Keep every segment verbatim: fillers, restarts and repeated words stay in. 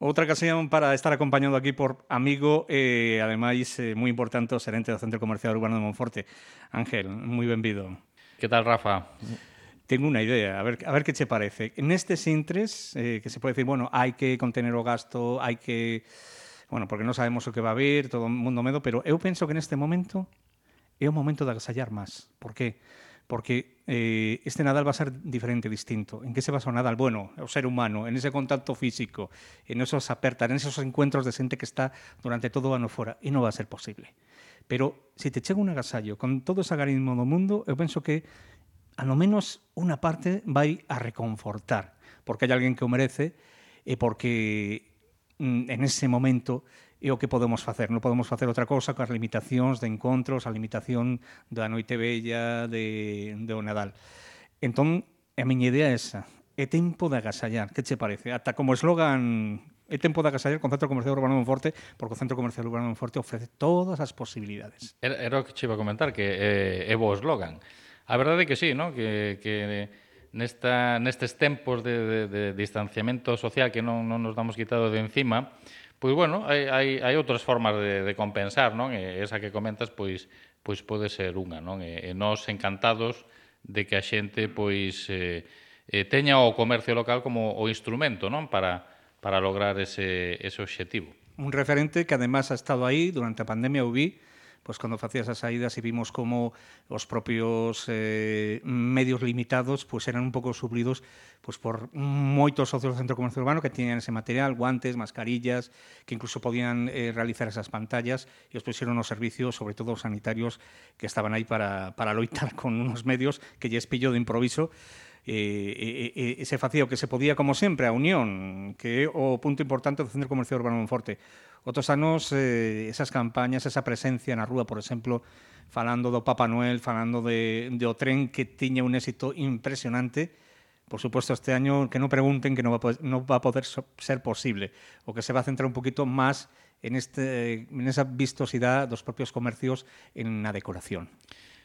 Outra ocasión para estar acompañado aquí por amigo e, ademais, eh, moi importante, o xerente do Centro Comercial Urbano de Monforte. Ángel, moi benvido. Que tal, Rafa? Tengo unha idea, a ver, a ver que che parece. Nestes intres, eh, que se pode decir, bueno, hai que contener o gasto, hai que... Bueno, porque non sabemos o que va a vir, todo o mundo medo, pero eu penso que neste momento é o momento de agasallar máis. Por qué? Porque eh, este Nadal va a ser diferente, distinto. En que se basa o Nadal? Bueno, o ser humano, en ese contacto físico, en esos apertas, en esos encuentros de xente que está durante todo o ano fora. E non va a ser posible. Pero se te chega un agasallo con todo ese agarismo do mundo, eu penso que a lo menos unha parte vai a reconfortar, porque hai alguén que o merece e porque mm, en ese momento é o que podemos facer. Non podemos facer outra cousa coas limitacións de encontros, a limitación da noite bella, de, de o Nadal. Entón, a miña idea é esa. É tempo de agasallar. Que che parece? Ata como eslogan, é tempo de agasallar con Centro Comercial Urbano de Monforte, porque o Centro Comercial Urbano de Monforte ofrece todas as posibilidades. Era, era o que che iba a comentar, que é, é bo eslogan. A verdade é que sí, ¿no? que, que nesta, nestes tempos de, de, de distanciamento social que non, non nos damos quitado de encima, pois, bueno, hai, hai, hai outras formas de, de compensar, non? E esa que comentas, pois, pois pode ser unha, non? E, e nós encantados de que a xente, pois, eh, eh, teña o comercio local como o instrumento, non? Para, para lograr ese, ese obxectivo. Un referente que además ha estado aí durante a pandemia, eu vi, pois cando facías as saídas e vimos como os propios eh, medios limitados pois eran un pouco suplidos pois por moitos socios do Centro Comercial Urbano que tiñan ese material, guantes, mascarillas, que incluso podían eh, realizar esas pantallas e os pusieron os servicios, sobre todo os sanitarios, que estaban aí para, para loitar con unos medios que lles pillo de improviso e, e, e se facía o que se podía, como sempre, a unión, que é o punto importante do Centro Comercial Urbano de Monforte. Outros anos, eh, esas campañas, esa presencia na rúa, por exemplo, falando do Papá Noel, falando de, de o tren que tiña un éxito impresionante. Por suposto, este año que non pregunten que non va a poder, non va a poder ser posible. O que se va a centrar un poquito máis en, este, en esa vistosidade dos propios comercios en a decoración.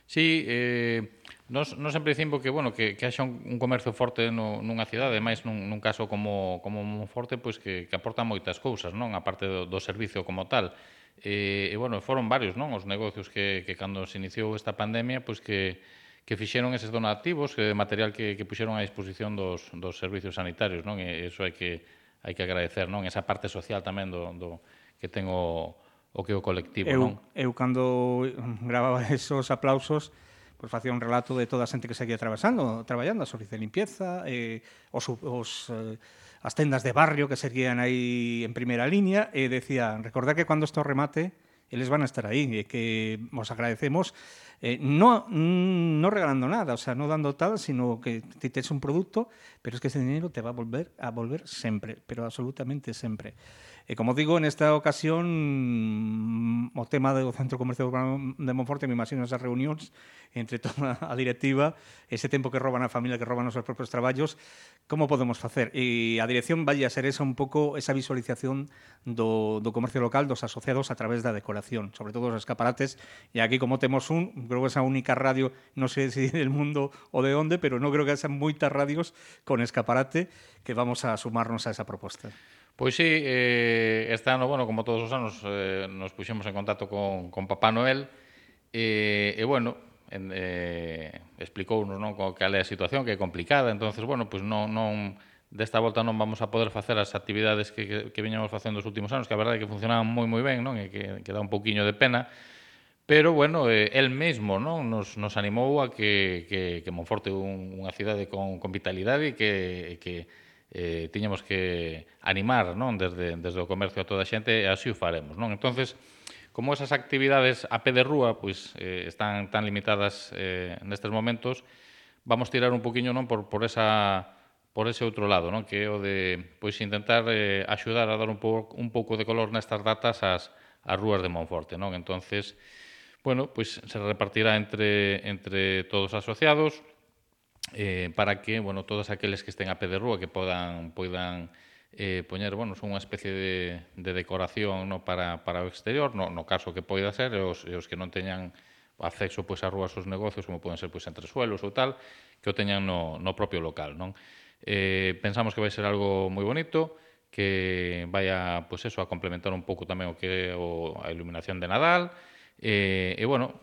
Sí, eh, nos, nos sempre dicimos que, bueno, que, que haxa un, un comercio forte no, nunha cidade, máis nun, nun caso como, como Monforte, pois que, que aporta moitas cousas, non? A parte do, do servicio como tal. E, e, bueno, foron varios, non? Os negocios que, que cando se iniciou esta pandemia, pois que, que fixeron eses donativos, que material que, que puxeron a disposición dos, dos servicios sanitarios, non? E iso hai que, hai que agradecer, non? Esa parte social tamén do, do que ten o o que o colectivo, Eu, non? eu cando gravaba esos aplausos, pois facía un relato de toda a xente que seguía atravesando, traballando, a servicio de limpieza, eh, os, os, eh, as tendas de barrio que seguían aí en primeira línea, e decía, recordad que cando isto remate, eles van a estar aí, e que os agradecemos, eh, no, no regalando nada, o sea, no dando tal, sino que ti tes un producto, pero es que ese dinero te va a volver a volver sempre, pero absolutamente sempre. E como digo, nesta ocasión o tema do Centro Comercial Urbano de Monforte, me imagino esas reunións entre toda a directiva, ese tempo que roban a familia, que roban os seus propios traballos, como podemos facer? E a dirección vai a ser esa un pouco esa visualización do, do comercio local, dos asociados a través da decoración, sobre todo os escaparates, e aquí como temos un, creo que esa única radio, non sei se del mundo ou de onde, pero non creo que sean moitas radios con escaparate que vamos a sumarnos a esa proposta. Pois sí, eh, este ano, bueno, como todos os anos, eh, nos puxemos en contacto con, con Papá Noel e, e bueno, en, eh, explicounos, non, cal é a situación, que é complicada, entonces, bueno, pois non, non, desta volta non vamos a poder facer as actividades que, que, que viñamos facendo os últimos anos, que a verdade é que funcionaban moi moi ben, non, e que, que dá un pouquiño de pena, pero, bueno, eh, el mesmo, non, nos, nos animou a que, que, que Monforte é un, unha cidade con, con vitalidade e que, que eh, tiñamos que animar, non, desde, desde o comercio a toda a xente, e así o faremos, non? Entonces, como esas actividades a pé de rúa pois, eh, están tan limitadas eh, nestes momentos, vamos tirar un poquinho, non, por, por esa por ese outro lado, non, que é o de pois intentar eh, axudar a dar un pouco un pouco de color nestas datas ás as rúas de Monforte, non? Entonces, bueno, pois se repartirá entre entre todos os asociados, eh, para que, bueno, todos aqueles que estén a pé de rúa que podan poidan eh, poñer, bueno, son unha especie de, de decoración, no, para, para o exterior, no, no caso que poida ser, e os, e os que non teñan acceso pois a rúas os negocios, como poden ser pois entre suelos ou tal, que o teñan no, no propio local, non? Eh, pensamos que vai ser algo moi bonito, que vai a, pois eso, a complementar un pouco tamén o que é o, a iluminación de Nadal, e, e bueno,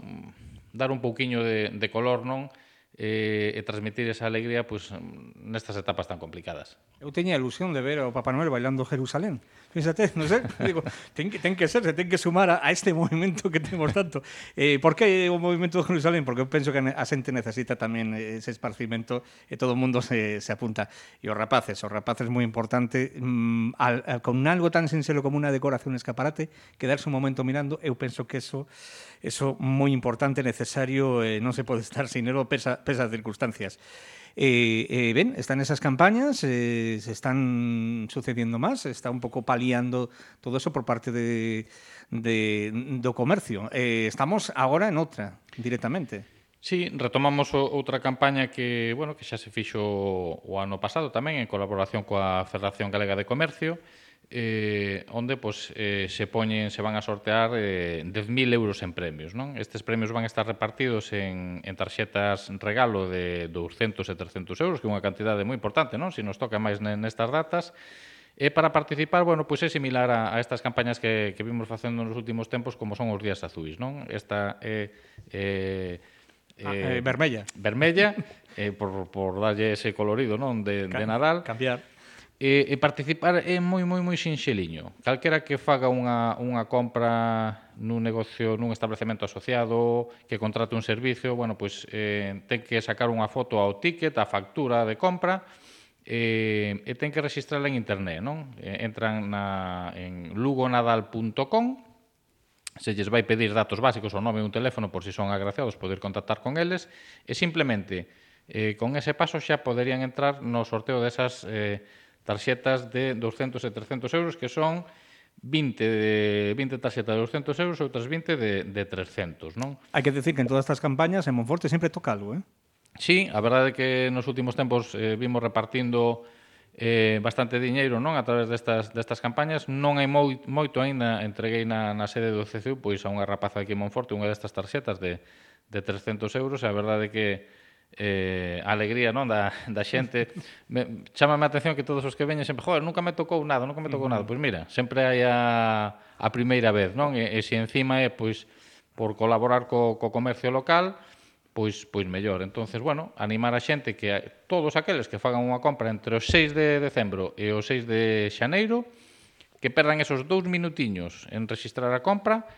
dar un pouquiño de, de color, non? E, e transmitir esa alegría pois, nestas etapas tan complicadas. Eu teña a ilusión de ver ao Papá Noel bailando Jerusalén. Fíxate, non sei, digo, ten que, ten que ser, se ten que sumar a, a este movimento que temos tanto. Eh, por que o movimento de Jerusalén? Porque eu penso que a xente necesita tamén ese esparcimento e todo o mundo se, se apunta. E os rapaces, os rapaces moi importante, mmm, al, al, con algo tan sincero como unha decoración escaparate, quedarse un momento mirando, eu penso que eso eso moi importante, necesario, eh, non se pode estar sin elo pesa, pesas circunstancias. Eh, eh, ben, están esas campañas, eh, se están sucediendo más, está un pouco paliando todo eso por parte de, de, do comercio. Eh, estamos agora en outra, directamente. Sí, retomamos o, outra campaña que, bueno, que xa se fixo o ano pasado tamén en colaboración coa Federación Galega de Comercio, eh, onde pues, eh, se poñen, se van a sortear eh, dez mil euros en premios, non? Estes premios van a estar repartidos en, en tarxetas regalo de douscentos e trescentos euros, que é unha cantidade moi importante, non? Se nos toca máis nestas datas. E para participar, bueno, pois é similar a, a estas campañas que, que vimos facendo nos últimos tempos, como son os días azuis, non? Esta é... Eh, eh, ah, eh, vermella. Vermella, eh, por, por darlle ese colorido, non? De, de Nadal. Cambiar. E, e participar é moi, moi, moi sinxeliño. Calquera que faga unha, unha compra nun negocio, nun establecemento asociado, que contrate un servicio, bueno, pois eh, ten que sacar unha foto ao ticket, a factura de compra, e, e ten que registrarla en internet, non? E, entran na, en lugonadal punto com, se lles vai pedir datos básicos, o nome e un teléfono, por si son agraciados, poder contactar con eles, e simplemente, eh, con ese paso xa poderían entrar no sorteo desas eh, tarxetas de douscentos e trescentos euros, que son vinte, de, vinte tarxetas de douscentos euros e outras vinte de, de trescentos, non? Hai que decir que en todas estas campañas en Monforte sempre toca algo, eh? Sí, a verdade é que nos últimos tempos eh, vimos repartindo eh, bastante diñeiro, non, a través destas, destas campañas. Non hai moi, moito aínda, entreguei na, na sede do C C U pois a unha rapaza aquí en Monforte unha destas tarxetas de, de trescentos euros, e a verdade é que eh, a alegría, non, da, da xente me, chámame a atención que todos os que veñen sempre, joder, nunca me tocou nada, nunca me tocou nada. Pois mira, sempre hai a, a primeira vez, non? E, e se encima é pois por colaborar co, co comercio local, pois pois mellor. Entonces, bueno, animar a xente que a, todos aqueles que fagan unha compra entre o seis de decembro e o seis de xaneiro, que perdan esos dous minutiños en registrar a compra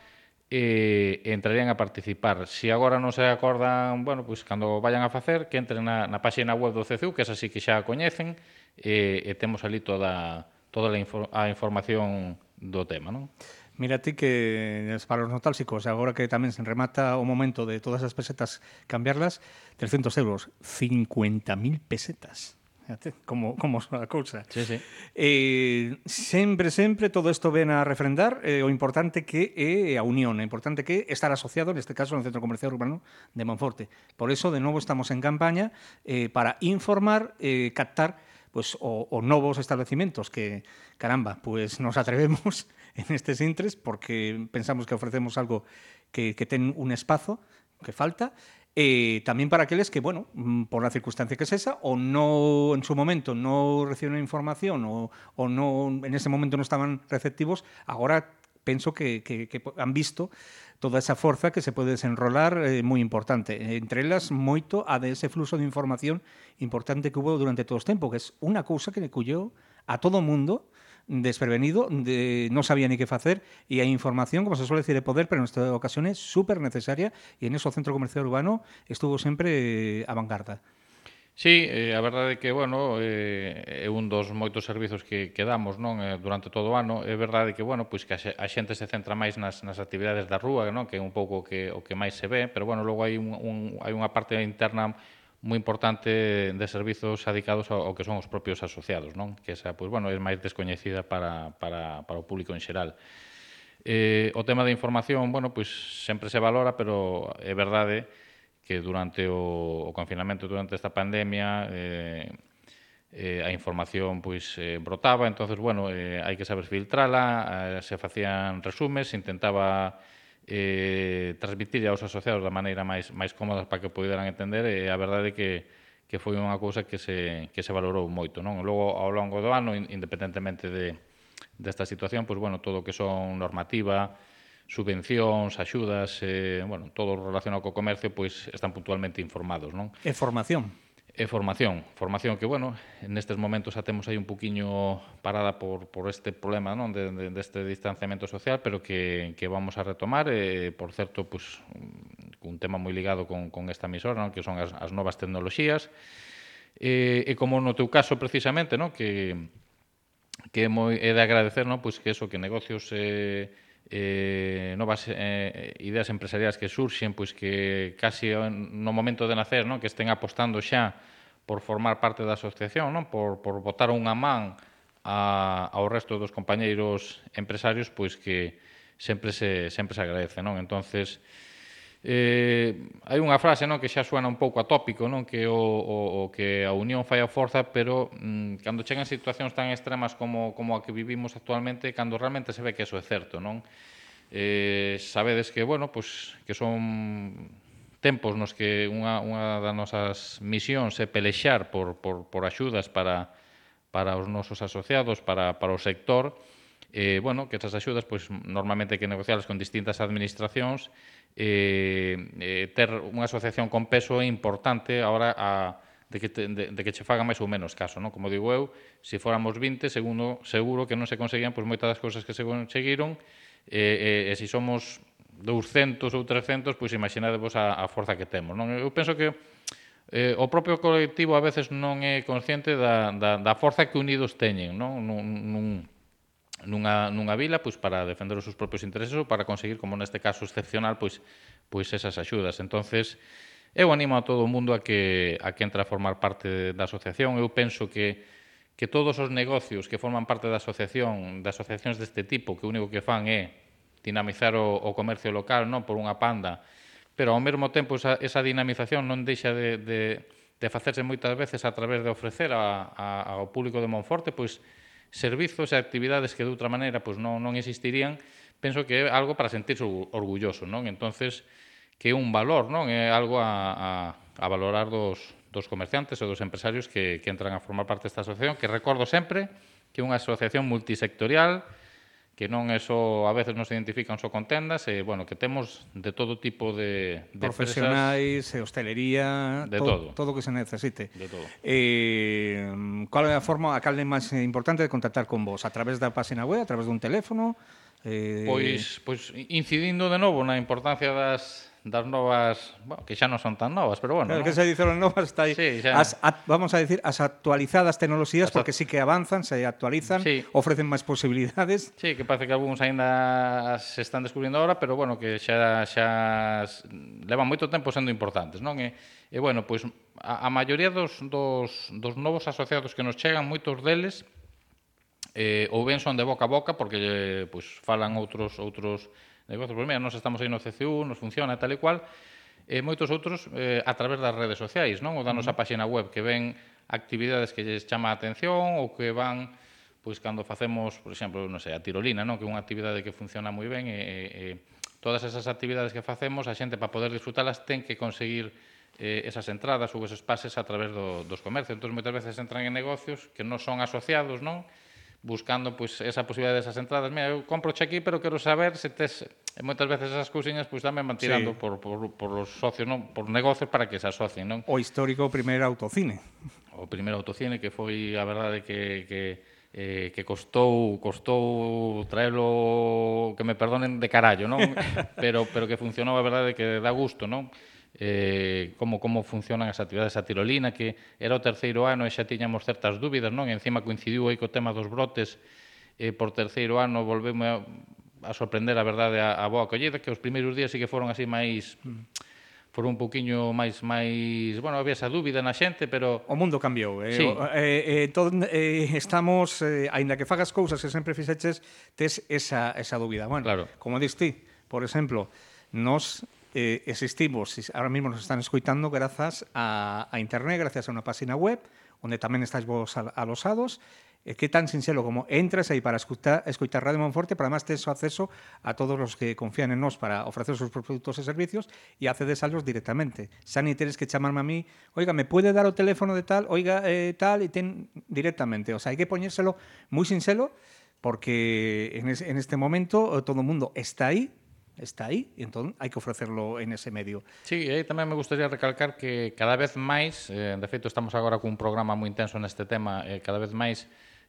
e entrarían a participar. Se agora non se acordan, bueno, pois cando vayan a facer, que entren na, na página web do C C U, que esa sí que xa a coñecen, e, e temos ali toda, toda a, infor, a información do tema, non? Mira ti que para os nostálxicos, agora que tamén se remata o momento de todas as pesetas cambiarlas, trescentos euros, cincuenta mil pesetas. Fíjate, como, como son a cousa. Sí, sí. Eh, sempre, sempre, todo isto ven a refrendar eh, o importante que é a unión, o importante que é estar asociado, neste caso, no Centro Comercial Urbano de Monforte. Por eso, de novo, estamos en campaña eh, para informar, eh, captar pues, o, o novos establecimientos que, caramba, pues nos atrevemos en estes intres porque pensamos que ofrecemos algo que, que ten un espazo que falta. Eh, tamén para aqueles que, bueno, por la circunstancia que es esa, o no en su momento no recibieron información o, o no en ese momento no estaban receptivos, agora penso que, que, que han visto toda esa forza que se pode desenrolar eh, moi importante. Entre elas, moito a de ese fluxo de información importante que hubo durante todo o tempo, que é unha cousa que le cullou a todo o mundo desprevenido, de, non sabía ni que facer, e a información, como se suele decir, de poder, pero nesta ocasión é super necesaria, e en eso o Centro Comercial Urbano estuvo sempre a vanguarda. Sí, eh, a verdade é que, bueno, eh, é un dos moitos servizos que, que damos, non, eh, durante todo o ano. É verdade que, bueno, pois que a, a xente se centra máis nas, nas actividades da rúa, non, que é un pouco que, o que máis se ve, pero, bueno, logo hai, un, un, hai unha parte interna moi importante de servizos adicados ao, ao que son os propios asociados, non? Que esa, pois, bueno, é máis descoñecida para, para, para o público en xeral. Eh, o tema da información, bueno, pois sempre se valora, pero é verdade que durante o, o confinamento, durante esta pandemia, eh, eh, a información pois eh, brotaba, entonces, bueno, eh, hai que saber filtrala, eh, se facían resumes, se intentaba eh, transmitir aos asociados da maneira máis, máis cómoda para que poderan entender, e a verdade é que, que foi unha cousa que se, que se valorou moito, non? Logo, ao longo do ano, independentemente de, desta situación, pois, bueno, todo o que son normativa, subvencións, axudas, eh, bueno, todo relacionado co comercio, pois están puntualmente informados, non? E formación. E formación, formación que, bueno, nestes momentos a temos aí un poquinho parada por, por este problema, non, de, de, deste distanciamento social, pero que, que vamos a retomar, e, por certo, pues, un tema moi ligado con, con esta emisora, non, que son as, as novas tecnoloxías, e, e como no teu caso, precisamente, non, que, que é, moi, é de agradecer, non, pues, que eso, que negocios... Eh, eh, novas eh, ideas empresariais que surxen, pois que casi no momento de nacer, non, que estén apostando xa por formar parte da asociación, non, por, por botar unha man a, ao resto dos compañeiros empresarios, pois que sempre se, sempre se agradece, non? Entonces, eh, hai unha frase, non, que xa suena un pouco atópico, non, que o, o, o que a unión fai a forza, pero mm, cando chegan situacións tan extremas como, como a que vivimos actualmente, cando realmente se ve que eso é certo, non? Eh, sabedes que, bueno, pues, que son tempos nos que unha, unha das nosas misións é pelexar por, por, por axudas para, para os nosos asociados, para, para o sector, eh, bueno, que esas axudas, pues, normalmente hai que negocialas con distintas administracións, eh, eh, ter unha asociación con peso é importante ahora a, de, que te, de, de que che faga máis ou menos caso, non? Como digo eu, se fóramos vinte, segundo, seguro que non se conseguían pues, moitas das cousas que se conseguiron, e, e, e se somos douscentos ou trescentos, pois imaginadevos a, a forza que temos, non? Eu penso que eh, o propio colectivo a veces non é consciente da, da, da forza que unidos teñen, non? Nun, nun, nunha, nunha vila, pois para defender os seus propios intereses ou para conseguir, como neste caso excepcional, pois, pois esas axudas. Entonces, eu animo a todo o mundo a que, a que entre a formar parte da asociación. Eu penso que que todos os negocios que forman parte da asociación, de asociacións deste tipo, que o único que fan é dinamizar o, o comercio local, non, por unha panda, pero ao mesmo tempo esa, esa dinamización non deixa de, de, de facerse moitas veces a través de ofrecer a, a, ao público de Monforte pois servizos e actividades que de outra maneira pois non, non existirían. Penso que é algo para sentirse orgulloso, non? Entonces, que é un valor, non? É algo a, a, a valorar dos, dos comerciantes e dos empresarios que, que entran a formar parte desta asociación, que recordo sempre que é unha asociación multisectorial, que non é só, a veces nos identifican só con tendas, e, bueno, que temos de todo tipo de, de profesionais, empresas, hostelería, de todo, todo. todo o que se necesite. De todo. Eh, cal é a forma, a cal é máis importante de contactar con vos? A través da página web, a través dun teléfono? Eh... Pois, pois, incidindo de novo na importancia das... das novas, bueno, que xa non son tan novas, pero bueno, claro, ¿no? Que se dicen as novas, está aí, sí, as, a, vamos a decir, as actualizadas tecnoloxías, as porque sí que avanzan, se actualizan, sí. ofrecen máis posibilidades. Sí, que parece que algúns aínda se están descubrindo agora, pero bueno, que xa, xa levan moito tempo sendo importantes, non? E, e bueno, pois a, a maioría dos, dos, dos novos asociados que nos chegan, moitos deles, eh, ou ben son de boca a boca, porque pois, falan outros outros negocios, pois mira, nos estamos aí no C C U, nos funciona tal e cual, e moitos outros eh, a través das redes sociais, non? Ou da nosa página web, que ven actividades que lles chama a atención ou que van, pois, cando facemos, por exemplo, non sei, a tirolina, non? Que é unha actividade que funciona moi ben, e, e todas esas actividades que facemos, a xente, para poder disfrutalas, ten que conseguir eh, esas entradas ou esos pases a través do, dos comercios. Entón, moitas veces entran en negocios que non son asociados, non? Buscando pois esa posibilidade desas entradas. Mira, eu compro aquí, pero quero saber se tes... E moitas veces esas cousiñas pois tamén van tirando sí. por, por, por os socios, non? Por negocios para que se asocien, non? O histórico primeiro autocine. O primeiro autocine que foi, a verdade, que, que, eh, que costou costou traelo, que me perdonen, de carallo, non? pero, pero que funcionou, a verdade, que dá gusto, non? Eh, como, como funcionan as actividades, a tirolina, que era o terceiro ano e xa tiñamos certas dúbidas, non? E encima coincidiu aí co tema dos brotes, e por terceiro ano volvemos a, a sorprender, a verdade, a, a boa acollida, que os primeiros días sí que foron así máis... foron un poquinho máis, máis, bueno, había esa dúbida na xente, pero... O mundo cambiou, eh? Sí. Eh, eh, todo, eh, estamos, eh, aínda que fagas cousas que sempre fixeches, tes esa, esa dúbida. Bueno, claro. Como dis ti, por exemplo, nos... Eh, existimos, ahora mismo nos están escoitando grazas a, a internet, gracias a unha página web, onde tamén estáis vos alosados, É que tan sinxelo como entras aí para escutar, escutar Radio Monforte, pero además tes acceso a todos os que confían en nós para ofrecer os seus produtos e servicios e accedes a los directamente. Xa ni tenes que chamarme a mí, oiga, me puede dar o teléfono de tal, oiga, eh, tal, e ten directamente. O sea, hai que poñérselo moi sinxelo porque en, es, en este momento todo o mundo está aí, está aí, e entón hai que ofrecerlo en ese medio. Sí, e aí tamén me gustaría recalcar que cada vez máis, eh, de feito estamos agora cun programa moi intenso neste tema, eh, cada vez máis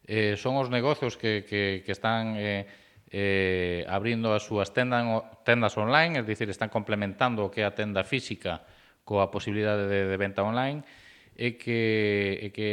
eh, son os negocios que, que, que están eh, eh, abrindo as súas tendas, tendas online, é dicir, están complementando o que é a tenda física coa posibilidade de, de venta online, e que, e que,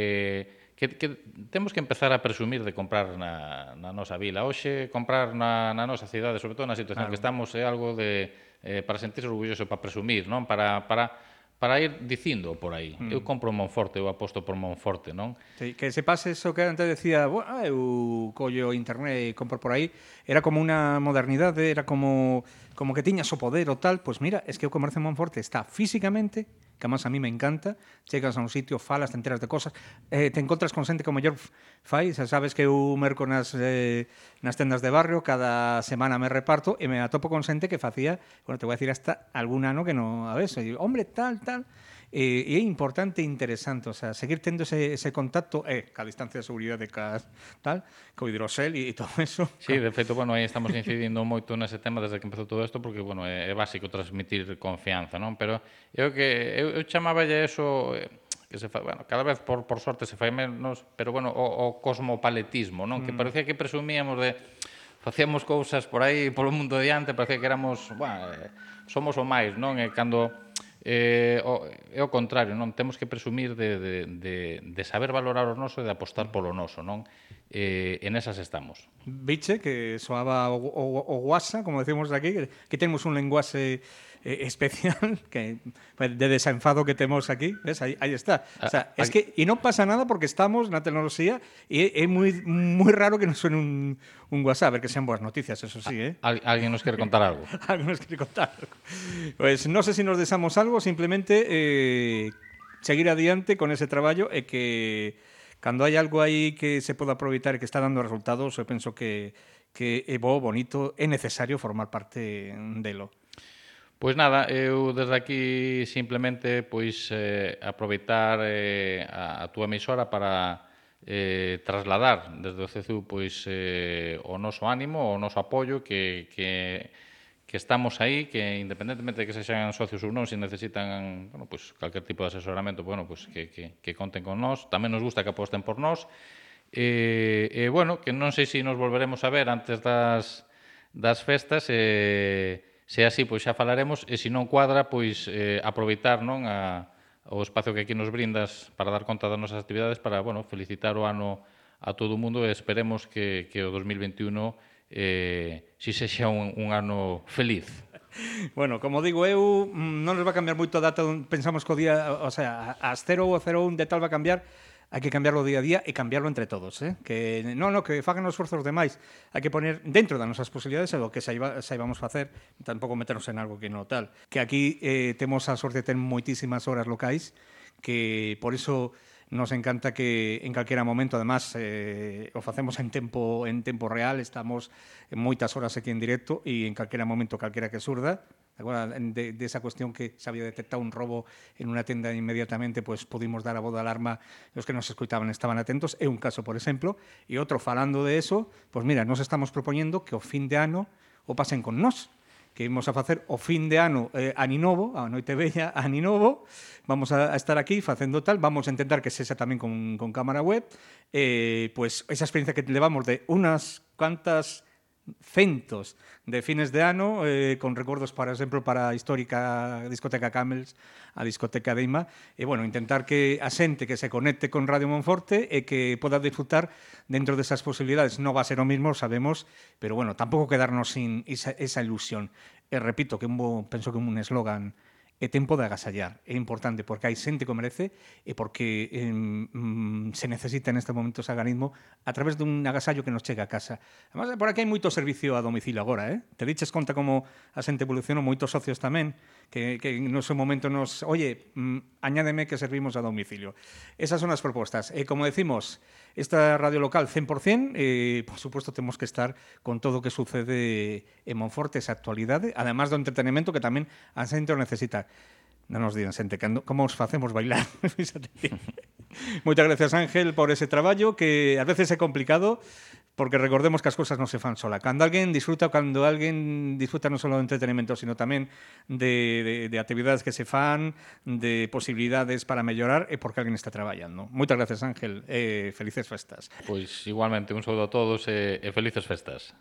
que, que temos que empezar a presumir de comprar na, na nosa vila. Hoxe, comprar na, na nosa cidade, sobre todo na situación claro. que estamos, é algo de, eh, para sentirse orgulloso, para presumir, non? Para... para para ir dicindo por aí. Mm. Eu compro Monforte, eu aposto por Monforte, non? Sí, que se pase eso que antes decía, bueno, eu collo internet e compro por aí, era como unha modernidade, era como como que tiñas o poder o tal, pois pues mira, es que o comercio en Monforte está físicamente, que además a mí me encanta, chegas a un sitio, falas, te enteras de cosas, eh, te encontras con xente como mellor fai, xa sabes que eu merco nas, eh, nas tendas de barrio, cada semana me reparto e me atopo con xente que facía, bueno, te voy a decir hasta algún ano que non a ves, e digo, hombre, tal, tal, e, e é importante e interesante, o sea, seguir tendo ese, ese contacto, eh, ca distancia de seguridade, ca tal, co hidrosel e, e todo eso. Sí, de feito, bueno, aí estamos incidindo moito nese tema desde que empezou todo isto, porque, bueno, é, é básico transmitir confianza, non? Pero eu que eu, eu chamaballe eso, eh, que se fa, bueno, cada vez por, por sorte se fai menos, pero, bueno, o, o cosmopaletismo, non? Mm. Que parecía que presumíamos de facíamos cousas por aí polo mundo diante, parecía que éramos, bueno, eh, somos o máis, non? E cando eh, o, é o contrario, non? Temos que presumir de, de, de, de saber valorar o noso e de apostar polo noso, non? Eh, en esas estamos. Viche, que soaba o, o, o guasa, como decimos aquí, que, que temos un lenguaxe eh, especial que de desenfado que temos aquí, ves, aí, aí está. O sea, ah, es que e non pasa nada porque estamos na tecnoloxía e é moi moi raro que nos suene un un WhatsApp, a ver que sean boas noticias, eso sí, eh. Al, alguén nos quere contar algo. Alguén nos quere contar algo. Pues non sé se si nos desamos algo, simplemente eh, seguir adiante con ese traballo e que cando hai algo aí que se poda aproveitar e que está dando resultados, eu penso que que é bo, bonito, é necesario formar parte delo. Pois nada, eu desde aquí simplemente pois eh, aproveitar eh, a, a túa emisora para eh, trasladar desde o C E C U pois eh, o noso ánimo, o noso apoio, que, que, que estamos aí, que independentemente de que sexan socios ou non, se necesitan, bueno, pois calquer tipo de asesoramento, bueno, pois que, que, que conten con nós. Tamén nos gusta que aposten por nós. E, e bueno, que non sei se nos volveremos a ver antes das, das festas, e se é así, pois xa falaremos, e se non cuadra, pois eh, aproveitar, non, a, o espacio que aquí nos brindas para dar conta das nosas actividades, para, bueno, felicitar o ano a todo o mundo, e esperemos que, que o dos mil veintiuno eh, si sexa un, un ano feliz. Bueno, como digo eu, non nos va a cambiar moito a data, pensamos que o día, o sea, as cero ou cero un de tal va a cambiar, hai que cambiarlo día a día e cambiarlo entre todos, eh? Que non, non, que fagan os esforzos demais, hai que poner dentro das nosas posibilidades o que saiba, saibamos facer, tampouco meternos en algo que non tal. Que aquí eh, temos a sorte de ter moitísimas horas locais, que por iso nos encanta que en calquera momento, además, eh, o facemos en tempo en tempo real, estamos en moitas horas aquí en directo e en calquera momento, calquera que surda. Agora, de, de esa cuestión que se había detectado un robo en una tenda inmediatamente, pues pudimos dar a voz de alarma, los que nos escoitaban estaban atentos, é un caso, por exemplo, e outro falando de eso, pues mira, nos estamos propoñendo que o fin de ano o pasen con nós, que imos a facer o fin de ano eh, aninovo, a noite bella aninovo, vamos a, a estar aquí facendo tal, vamos a intentar que sexa tamén con, con cámara web, eh, pues esa experiencia que levamos de unas cuantas centos de fines de ano, eh, con recordos, por exemplo, para a histórica discoteca Camels, a discoteca de Ima, e, bueno, intentar que a xente que se conecte con Radio Monforte e que poda disfrutar dentro desas posibilidades. Non va a ser o mismo, sabemos, pero, bueno, tampouco quedarnos sin esa, esa ilusión. E repito, que un bo, penso que un eslogan é tempo de agasallar. É importante porque hai xente que o merece e porque eh, mm, se necesita neste momento ese organismo a través dun agasallo que nos chega a casa. Además, por aquí hai moito servicio a domicilio agora, eh? Te diches conta como a xente evolucionou, moitos socios tamén, que, que no seu momento nos, oye, mm, añádeme que servimos a domicilio. Esas son as propostas. E como decimos, esta radio local cien por cien, eh, por suposto temos que estar con todo o que sucede en Monforte, esa actualidade, además do entretenimento que tamén a xente o necesita. Non nos digan, xente, como os facemos bailar? Moitas gracias, Ángel, por ese traballo que ás veces é complicado, porque recordemos que as cousas non se fan sola. Cando alguén disfruta, cando alguén disfruta non só do entretenimento, sino tamén de, de, de actividades que se fan, de posibilidades para mellorar, é porque alguén está traballando. Moitas gracias, Ángel, e felices festas. Pois igualmente, un saúdo a todos e, e felices festas.